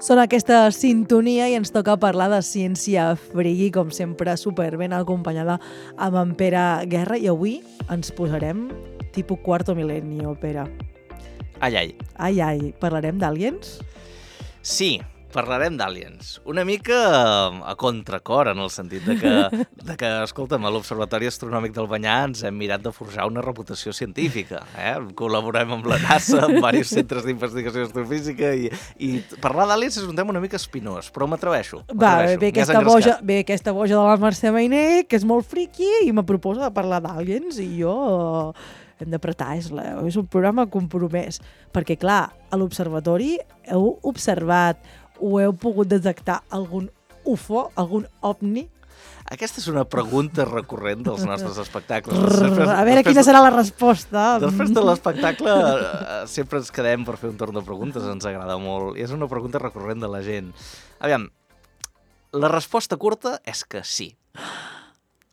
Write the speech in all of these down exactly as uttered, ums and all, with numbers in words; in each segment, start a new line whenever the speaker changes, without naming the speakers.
Són aquesta sintonia i ens toca parlar de ciència friki, com sempre, superben acompanyada amb en Pere Guerra. I avui ens posarem tipus quarto milenio, Pere.
Ai, ai.
Ai, ai. Parlarem d'àliens?
Sí, parlarem d'àliens. Una mica a contracor, en el sentit de que, de que escolta'm, a l'Observatori Astronòmic del Banyà ens hem mirat de forjar una reputació científica. Eh? Col·laborem amb la NASA, amb diversos centres d'investigació astrofísica, i, i parlar d'àliens és un tema una mica espinós, però m'atreveixo.
Va, ve aquesta, boja, ve aquesta boja de la Mercè Mainer, que és molt friqui, i me proposa de parlar d'àliens, i jo... hem d'apretar, és, la, és un programa compromès. Perquè, clar, a l'observatori heu observat o heu pogut detectar algun U F O, algun ovni?
Aquesta és una pregunta recurrent dels nostres espectacles.
Després, a veure quina serà la resposta.
Després de l'espectacle sempre ens quedem per fer un torn de preguntes, ens agrada molt. I és una pregunta recurrent de la gent. Aviam, la resposta curta és que sí.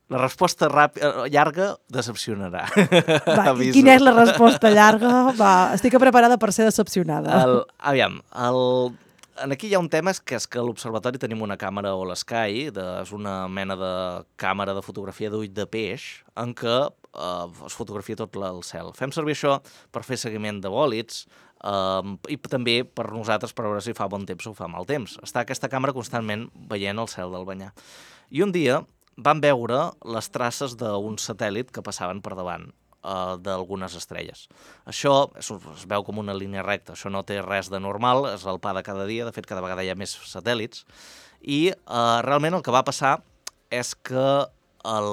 La resposta ràpida, llarga decepcionarà.
Va, i quina és la resposta llarga? Va, estic preparada per ser decepcionada.
El, aviam, el, en aquí hi ha un tema que és que a l'observatori tenim una càmera All-Sky, de, és una mena de càmera de fotografia d'ull de peix, en què eh, es fotografia tot el cel. Fem servir això per fer seguiment de bòlids, eh, i també per nosaltres per veure si fa bon temps o fa mal temps. Està aquesta càmera constantment veient el cel del Banyà. I un dia van veure les traces d'un satèl·lit que passaven per davant eh, d'algunes estrelles. Això es, es veu com una línia recta, això no té res de normal, és el pa de cada dia, de fet cada vegada hi ha més satèl·lits, i eh, realment el que va passar és que el,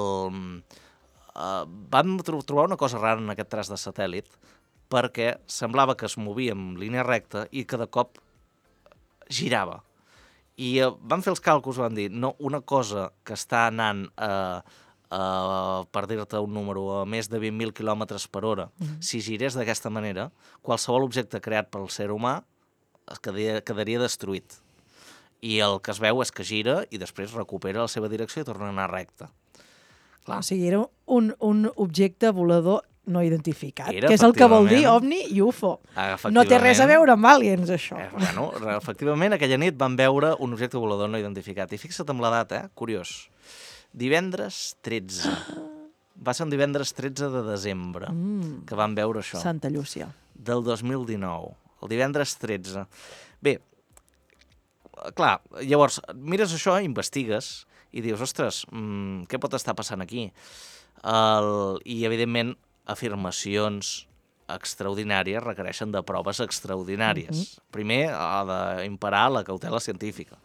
eh, van trobar una cosa rara en aquest traç de satèl·lit, perquè semblava que es movia en línia recta i que de cop girava. I uh, van fer els càlculs, van dir, no, una cosa que està anant, uh, uh, per dir-te un número, a més de vint mil quilòmetres per hora, mm-hmm. si girés d'aquesta manera, qualsevol objecte creat pel ser humà es quedaria, quedaria destruït. I el que es veu és que gira i després recupera la seva direcció i torna a anar recte. Clar.
O sigui, era un, un objecte volador no identificat,
Era,
que és el que vol dir ovni i U F O. No té res a veure amb aliens, això.
Eh, bueno, efectivament, aquella nit van veure un objecte volador no identificat. I fixa't amb la data, eh? Curiós. Divendres tretze. Va ser un divendres tretze de desembre mm. que van veure això.
Santa Llúcia.
Del dos mil dinou. El divendres tretze. Bé, clar, llavors, mires això, investigues i dius, ostres, mmm, què pot estar passant aquí? El... I, evidentment, afirmacions extraordinàries requereixen de proves extraordinàries. Mm-hmm. Primer, ha d'imperar la cautela científica.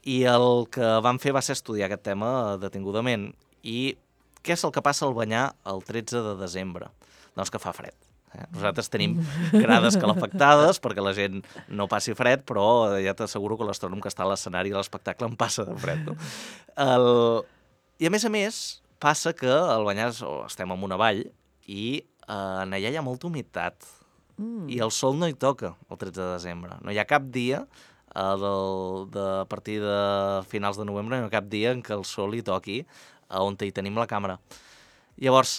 I el que van fer va ser estudiar aquest tema detingudament. I què és el que passa al Banyà el tretze de desembre? Doncs que fa fred. Eh? Nosaltres tenim grades calefactades perquè la gent no passi fred, però ja t'asseguro que l'astrònom que està a l'escenari de l'espectacle en passa de fred. No? El... I a més a més, passa que al Banyà estem en una vall i eh, en allà hi ha molta humitat mm. i el sol no hi toca el tretze de desembre. No hi ha cap dia, eh, del, de, a partir de finals de novembre, no hi ha cap dia en què el sol hi toqui eh, on hi tenim la càmera. Llavors,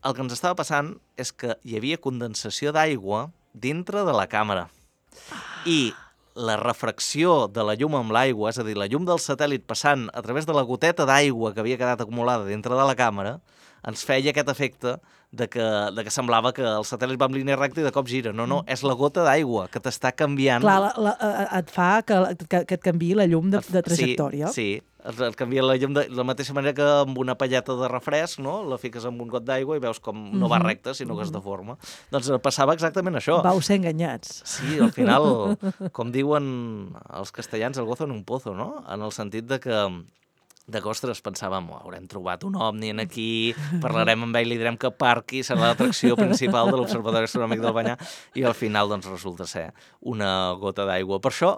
el que ens estava passant és que hi havia condensació d'aigua dintre de la càmera. I la refracció de la llum amb l'aigua, és a dir, la llum del satèl·lit passant a través de la goteta d'aigua que havia quedat acumulada dintre de la càmera, ens feia aquest efecte de que, de que semblava que el satèl·lit va en línia recta i de cop gira. No, no, és la gota d'aigua que t'està canviant.
Clar, la, la, et fa que, que, que et canviï la llum de, de trajectòria.
Sí, sí, et canvia la llum de la mateixa manera que amb una palleta de refresc, no? La fiques amb un got d'aigua i veus com no va recta, sinó que es deforma. Doncs passava exactament això.
Vau ser enganyats.
Sí, al final, com diuen els castellans, el gozo en un pozo, no? En el sentit de que de que, ostres, pensàvem, oh, haurem trobat un ovni en aquí, parlarem amb ell, li direm que parqui, serà l'atracció principal de l'Observatori Astronòmic del Banyà, i al final doncs, resulta ser una gota d'aigua. Per això,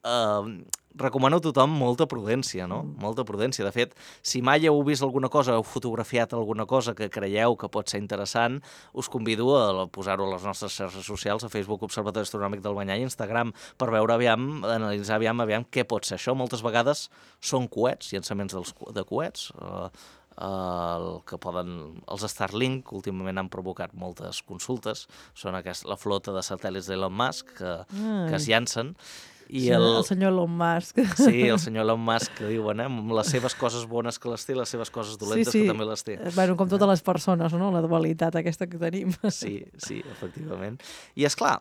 eh, recomano a tothom molta prudència, no? Molta prudència. De fet, si mai heu vist alguna cosa, heu fotografiat alguna cosa que creieu que pot ser interessant, us convido a posar-ho a les nostres xarxes socials, a Facebook Observatori Astronòmic del Banyà i Instagram, per veure aviam, analitzar aviam, aviam què pot ser això. Moltes vegades són coets, llançaments dels, de coets, eh, el que poden... Els Starlink últimament han provocat moltes consultes, són aquest, la flota de satèl·lits d'Elon Musk que, que es llancen. I
sí, el... el senyor Elon Musk.
Sí, el senyor Elon Musk, que diuen, eh? Amb les seves coses bones que les té, les seves coses dolentes
sí, sí.
que també les té.
Bueno, com totes les persones, no? La dualitat aquesta que tenim.
Sí, sí, efectivament. I és clar,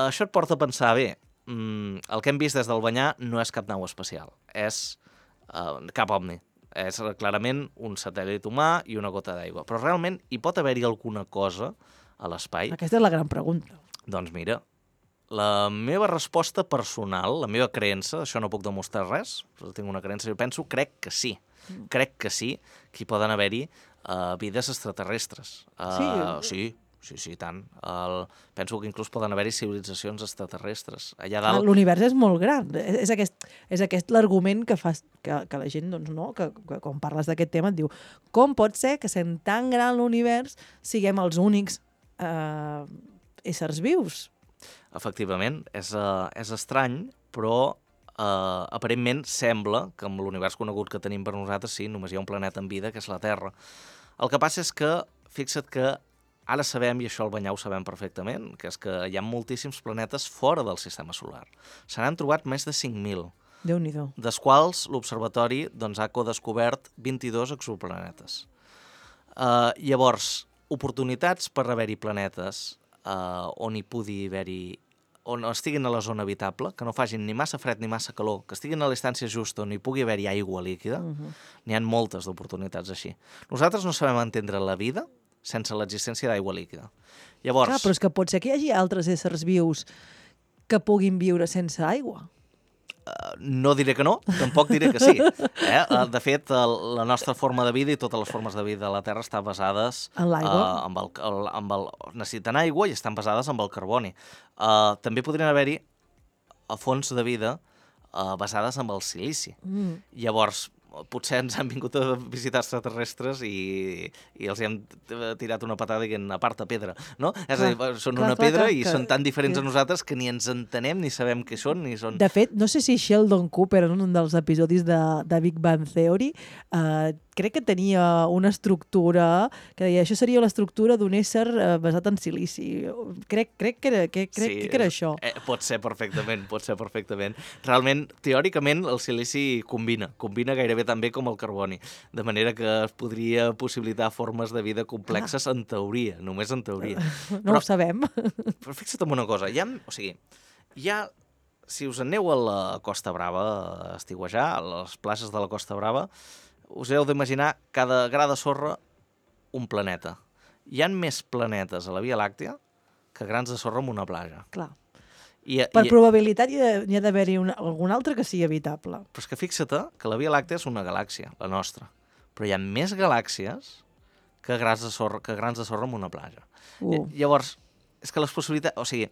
això et porta a pensar, bé, mm, el que hem vist des del Banyà no és cap nau espacial, és uh, cap ovni. És clarament un satèl·lit humà i una gota d'aigua. Però realment hi pot haver-hi alguna cosa a l'espai?
Aquesta és la gran pregunta.
Doncs mira, la meva resposta personal, la meva creença, això no puc demostrar res, però tinc una creença, jo penso, crec que sí. Crec que sí, que hi poden haver-hi uh, vides extraterrestres. Uh, sí? Sí. Sí, sí, tant. El... Penso que inclús poden haver-hi civilitzacions extraterrestres. Allà dalt...
L'univers és molt gran. És, és aquest, és aquest l'argument que fa que, que la gent, doncs, no, que, que quan parles d'aquest tema et diu com pot ser que sent tan gran l'univers siguem els únics eh, éssers vius?
Efectivament, és, uh, és estrany, però uh, aparentment sembla que amb l'univers conegut que tenim per nosaltres, sí, només hi ha un planeta en vida, que és la Terra. El que passa és que, fixa't que ara sabem, i això al Banyà ho sabem perfectament, que és que hi ha moltíssims planetes fora del sistema solar. Se n'han trobat més de cinc mil.
Déu-n'hi-do.
Des quals l'observatori doncs, ha codescobert vint-i-dos exoplanetes. Uh, llavors, oportunitats per haver-hi planetes uh, on hi pugui haver-hi, on estiguin a la zona habitable, que no facin ni massa fred ni massa calor, que estiguin a la distància justa on hi pugui haver-hi aigua líquida, uh-huh. N'hi ha moltes d'oportunitats així. Nosaltres no sabem entendre la vida sense l'existència d'aigua líquida. Llavors...
Clar, però és que pot ser que hi hagi altres éssers vius que puguin viure sense aigua.
Uh, no diré que no, tampoc diré que sí. Eh? Uh, de fet, uh, la nostra forma de vida i totes les formes de vida de la Terra estan basades...
En l'aigua.
Uh, amb el, el, amb el, necessiten aigua i estan basades amb el carboni. Uh, també podrien haver-hi fonts de vida uh, basades amb el silici. Mm. Llavors, potser ens han vingut a visitar extraterrestres i, i els hem tirat una patada dient aparta pedra, no? És a dir, són clar, una clar, pedra clar, i que, són tan diferents que... a nosaltres que ni ens entenem, ni sabem què són, ni són...
De fet, no sé si Sheldon Cooper, en un dels episodis de, de Big Bang Theory, eh, crec que tenia una estructura que deia, això seria l'estructura d'un ésser eh, basat en silici. Crec, crec, que, era, que, crec sí, que era això.
Eh, pot ser perfectament, pot ser perfectament. Realment, teòricament, el silici combina, combina gairebé també com el carboni, de manera que es podria possibilitar formes de vida complexes ah. en teoria, només en teoria.
No però, ho sabem.
Però fixa't en una cosa, hi ha, o sigui, hi ha, si us aneu a la Costa Brava a estiuejar, a les places de la Costa Brava, us heu d'imaginar cada gra de sorra un planeta. Hi ha més planetes a la Via Làctea que grans de sorra en una platja.
Clar.
I,
per
i,
probabilitat hi ha, ha d'haver-hi algun altre que sigui habitable.
Però és que fixa't que la Via Làctea és una galàxia, la nostra. Però hi ha més galàxies que grans de sorra, que grans de sorra en una platja. Uh. Llavors, és que les possibilitats... O sigui,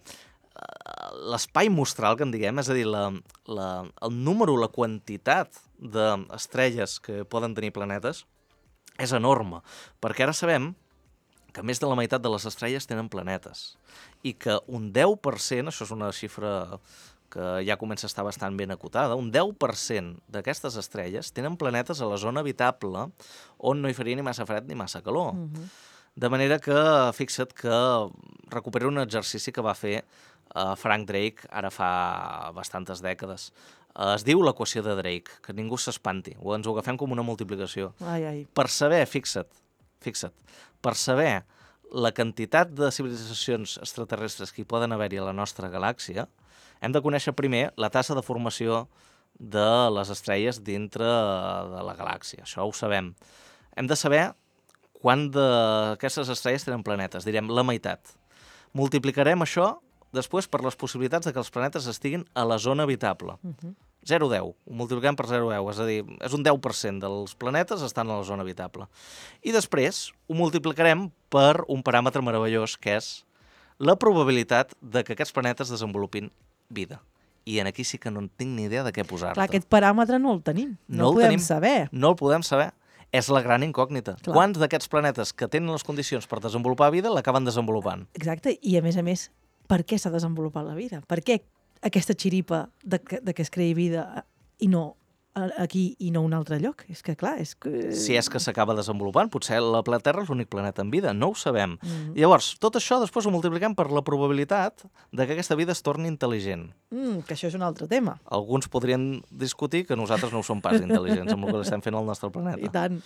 l'espai mostral, que en diguem, és a dir, la, la, el número, la quantitat d'estrelles que poden tenir planetes és enorme. Perquè ara sabem que més de la meitat de les estrelles tenen planetes i que un deu per cent, això és una xifra que ja comença a estar bastant ben acotada, un deu per cent d'aquestes estrelles tenen planetes a la zona habitable on no hi faria ni massa fred ni massa calor. Uh-huh. De manera que, fixa't que recupero un exercici que va fer uh, Frank Drake ara fa bastantes dècades. Uh, es diu l'equació de Drake, que ningú s'espanti, o ens ho agafem com una multiplicació.
Ai, ai.
Per saber, fixa't, fixa't, per saber la quantitat de civilitzacions extraterrestres que hi poden haver-hi a la nostra galàxia, hem de conèixer primer la tassa de formació de les estrelles dintre de la galàxia. Això ho sabem. Hem de saber quant d'aquestes estrelles tenen planetes. Direm la meitat. Multiplicarem això després per les possibilitats de que els planetes estiguin a la zona habitable. Uh-huh. zero coma deu. Ho multipliquem per zero coma deu. És a dir, és un deu per cent dels planetes estan a la zona habitable. I després ho multiplicarem per un paràmetre meravellós, que és la probabilitat de que aquests planetes desenvolupin vida. I en aquí sí que no en tinc ni idea de què posar-te.
Clar, aquest paràmetre no el tenim. No, no el podem tenim, saber.
No el podem saber. És la gran incògnita. Clar. Quants d'aquests planetes que tenen les condicions per desenvolupar vida l'acaben desenvolupant?
Exacte. I a més a més, per què s'ha desenvolupat la vida? Per què aquesta xiripa de que, de que es creï vida i no aquí i no a un altre lloc. És que, clar, és que...
Si és que s'acaba desenvolupant, potser la Terra és l'únic planeta amb vida, no ho sabem.
Mm.
Llavors, tot això després ho multipliquem per la probabilitat de que aquesta vida es torni intel·ligent.
Mm, que això és un altre tema.
Alguns podrien discutir que nosaltres no ho som pas intel·ligents amb el que estem fent al nostre planeta.
I tant.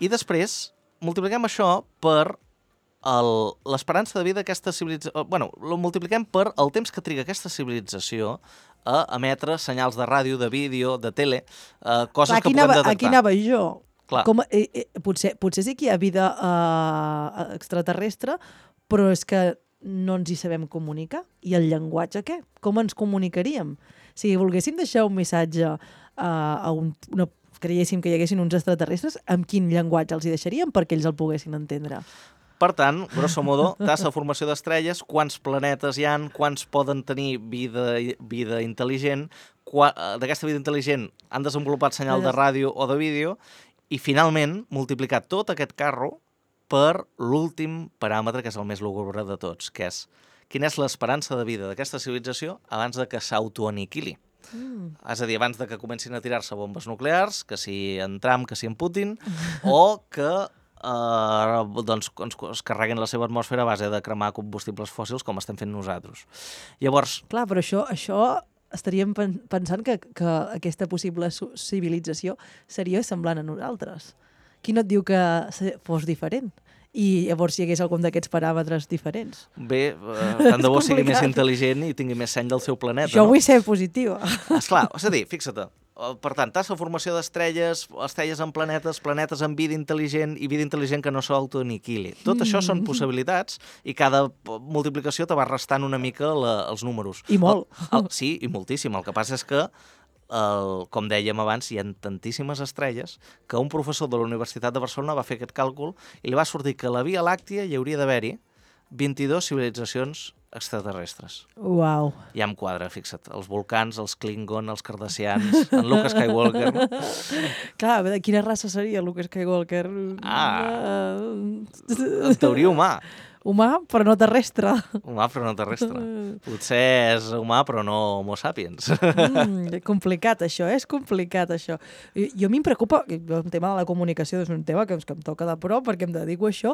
I després multipliquem això per l'esperança de vida d'aquesta civilització... Bueno, ho multipliquem per el temps que triga aquesta civilització a emetre senyals de ràdio, de vídeo, de tele, eh, coses
Clar,
que puguem
anava,
detectar.
Aquí anava jo.
Clar.
Com, eh, eh, potser, potser sí que hi ha vida eh, extraterrestre, però és que no ens hi sabem comunicar. I el llenguatge, què? Com ens comunicaríem? Si volguéssim deixar un missatge eh, a un, una creiéssim que hi haguessin uns extraterrestres, amb quin llenguatge els hi deixaríem perquè ells el poguessin entendre?
Per tant, grosso modo, tassa de formació d'estrelles, quants planetes hi han, quants poden tenir vida, vida intel·ligent, d'aquesta vida intel·ligent han desenvolupat senyal de ràdio o de vídeo, i finalment multiplicar tot aquest carro per l'últim paràmetre, que és el més lúgubre de tots, que és quina és l'esperança de vida d'aquesta civilització abans de que s'autoaniquili. Mm. És a dir, abans de que comencin a tirar-se bombes nuclears, que si en Trump, que si en Putin, o que Uh, doncs es carreguen la seva atmosfera a base de cremar combustibles fòssils com estem fent nosaltres. Llavors...
Clar, però això, això estaríem pensant que, que aquesta possible civilització seria semblant a nosaltres. Qui no et diu que fos diferent? I llavors hi hagués algun d'aquests paràmetres diferents.
Bé, uh, tant de bo sigui més intel·ligent i tingui més seny del seu planeta.
Jo
no?
vull ser positiva.
Esclar, és a dir, fixa't, per tant, tassa de formació d'estrelles, estrelles en planetes, planetes amb vida intel·ligent i vida intel·ligent que no s'autoaniquili. Tot això són possibilitats i cada multiplicació te va restant una mica la, els números.
I molt.
El, el, sí, i moltíssim. El que passa és que, el, com dèiem abans, hi ha tantíssimes estrelles que un professor de la Universitat de Barcelona va fer aquest càlcul i li va sortir que a la Via Làctia hi hauria d'haver-hi vint-i-dues civilitzacions extraterrestres.
Uau.
Ja em quadra, fixa't. Els volcans, els Klingon, els Cardassians, en Luke Skywalker.
Clar, de quina raça seria Luke Skywalker?
Ah, en teoria humà.
Humà, però no terrestre.
Humà, però no terrestre. Potser és humà, però no homo sapiens.
Mm, complicat, això, és complicat, això. I, jo a mi em preocupa, el tema de la comunicació és un tema que, que em toca de prop, perquè em dedico a això.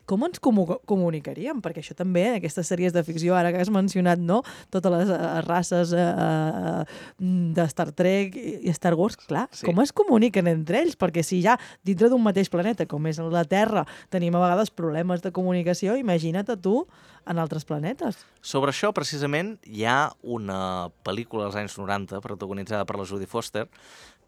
Com ens comu comunicaríem? Perquè això també, en aquestes sèries de ficció, ara que has mencionat, no? Totes les uh, races uh, de Star Trek i Star Wars, clar, sí. Com es comuniquen entre ells? Perquè si ja dintre d'un mateix planeta, com és la Terra, tenim a vegades problemes de comunicació, imagina't a tu en altres planetes.
Sobre això, precisament, hi ha una pel·lícula dels anys noranta, protagonitzada per la Jodie Foster,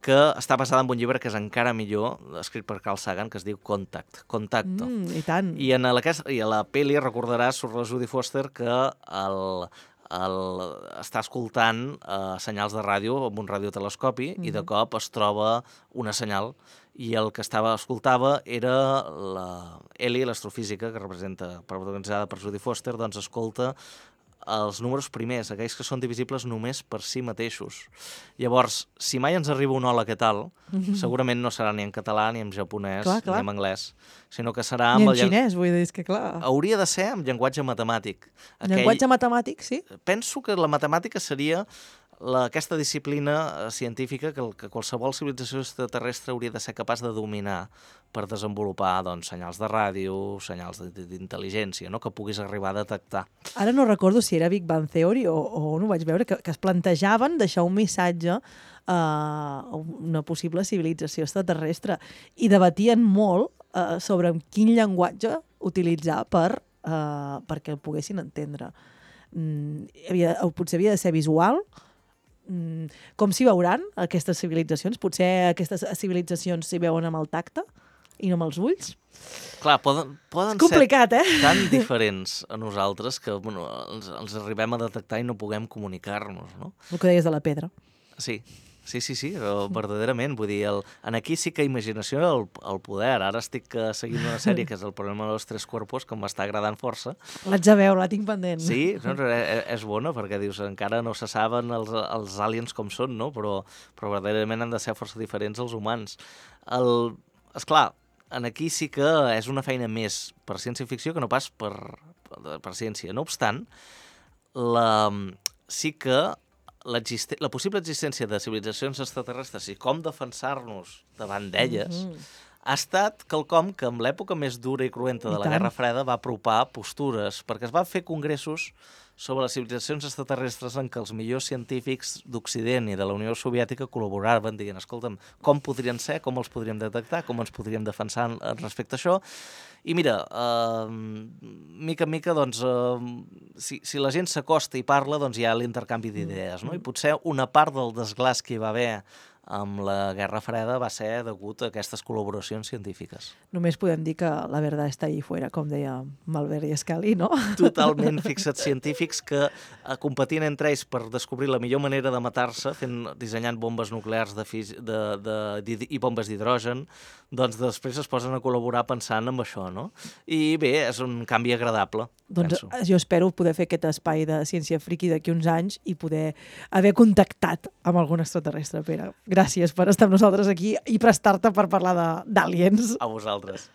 que està basada en un llibre que és encara millor, escrit per Carl Sagan, que es diu Contact, Contacto.
Mm, I tant.
I, en la, I a la pel·li recordaràs sobre la Jodie Foster que el, el, està escoltant uh, senyals de ràdio amb un radiotelescopi mm-hmm. i de cop es troba una senyal i el que estava escoltava era la Ellie, l'astrofísica, que representa, protagonitzada per Jodie Foster, doncs escolta els números primers, aquells que són divisibles només per si mateixos. Llavors, si mai ens arriba un hola, què tal, mm-hmm. segurament no serà ni en català, ni en japonès, clar, clar. ni en anglès, sinó que serà...
Ni
amb
en
el
xinès, vull dir, és que clar...
Hauria de ser amb llenguatge matemàtic.
Aquell... Llenguatge matemàtic, sí?
Penso que la matemàtica seria la, aquesta disciplina científica que, que qualsevol civilització extraterrestre hauria de ser capaç de dominar per desenvolupar doncs, senyals de ràdio, senyals d'intel·ligència, no? Que puguis arribar a detectar.
Ara no recordo si era Big Bang Theory o, o no ho vaig veure, que, que es plantejaven deixar un missatge a una possible civilització extraterrestre i debatien molt uh, sobre quin llenguatge utilitzar per, uh, perquè el poguessin entendre. Mm, havia, potser havia de ser visual, mm, com s'hi veuran aquestes civilitzacions? Potser aquestes civilitzacions s'hi veuen amb el tacte i no amb els ulls?
Clar, poden, poden
complicat,
ser
eh?
tan diferents a nosaltres que bueno, els, els arribem a detectar i no puguem comunicar-nos, no?
El que deies de la pedra.
Sí, sí, sí, sí, verdaderament. Vull dir, el, en aquí sí que imaginació el, el poder. Ara estic seguint una sèrie que és El problema de los tres cuerpos, que m'està agradant força.
L'haig de veure, la tinc pendent.
Sí, no, és, és bona, perquè dius, encara no se saben els, els aliens com són, no? Però, però verdaderament han de ser força diferents als humans. El, esclar, en aquí sí que és una feina més per ciència-ficció que no pas per, per, per ciència. No obstant, la, sí que la possible existència de civilitzacions extraterrestres i com defensar-nos davant d'elles mm -hmm. ha estat quelcom que en l'època més dura i cruenta de la Guerra Freda va apropar postures, perquè es van fer congressos sobre les civilitzacions extraterrestres en què els millors científics d'Occident i de la Unió Soviètica col·laboraven, dient, escolta'm, com podrien ser, com els podríem detectar, com ens podríem defensar respecte a això. I mira, eh, mica en mica, doncs, eh, si, si la gent s'acosta i parla, doncs hi ha l'intercanvi d'idees, no? I potser una part del desglàs que hi va haver amb la Guerra Freda va ser degut a aquestes col·laboracions científiques.
Només podem dir que la verdad està ahí fuera, com deia Malvern i Scali, no?
Totalment fixats científics que eh, competint entre ells per descobrir la millor manera de matar-se, fent dissenyant bombes nuclears de fisi, de, de, de, i bombes d'hidrogen, doncs després es posen a col·laborar pensant en això, no? I bé, és un canvi agradable,
doncs
penso.
Jo espero poder fer aquest espai de ciència friki d'aquí uns anys i poder haver contactat amb algun extraterrestre, Pere. Gràcies per estar amb nosaltres aquí i prestar-te per parlar d'aliens.
A vosaltres.